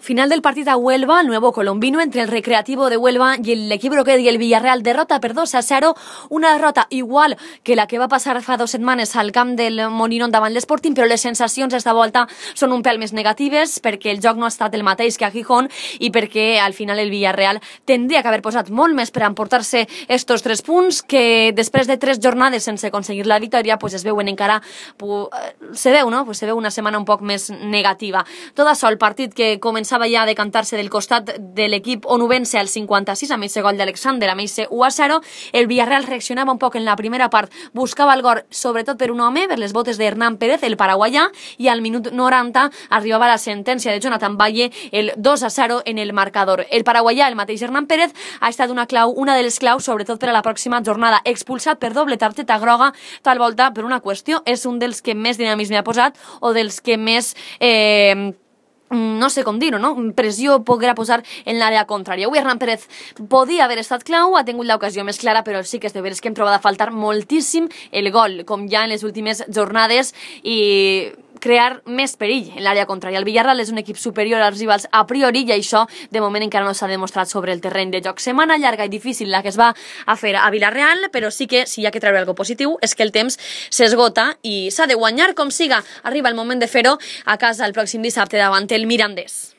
Final del partit a Huelva, el nuevo colombino entre el Recreativo de Huelva y el equip roquet i el Villarreal. Derrota per 2-0, una derrota igual que la que va passar fa 2 setmanes al camp del Molinón davant l'Sporting, però les sensacions esta volta són un pèl més negatives perquè el joc no ha estat el mateix que a Gijón i perquè al final el Villarreal tindria que haver posat molt més per emportar-se estos 3 punts que després de 3 jornades sense aconseguir la victòria pues es veuen encara, se veu, no? Pues se veu una setmana un poc més negativa. Tot això, el partit que començava ja a decantar-se del costat de l'equip onubense al 56 amb aquest gol d'Alexander, amb aquest 1-0. El Villarreal reaccionava un poc en la primera part, buscava el gol sobretot per un home, per les botes de Hernán Pérez, el paraguaià, i al minut 90 arribava la sentència de Jonathan Valle, el 2-0 en el marcador. El paraguaià, el mateix Hernán Pérez, ha estat una de les claus, sobretot per a la pròxima jornada, expulsat per doble targeta groga, tal volta per una qüestió, és un dels que més dinamisme ha posat o dels que més no sé com dir-ho, no? Pressió poguera posar en l'àrea contrària. Avui Hernán Pérez podia haver estat clau, ha tingut l'ocasió més clara, però sí que és de veres que hem trobat a faltar moltíssim el gol, com ja en les últimes jornades, i crear més perill en l'àrea contrària. El Villarreal és un equip superior als rivals a priori i això de moment encara no s'ha demostrat sobre el terreny de joc. Setmana llarga i difícil la que es va a fer a Villarreal, però sí que si hi ha que treure alguna positiu és que el temps s'esgota i s'ha de guanyar com siga. Arriba el moment de fer-ho a casa el pròxim dissabte davant el Mirandés.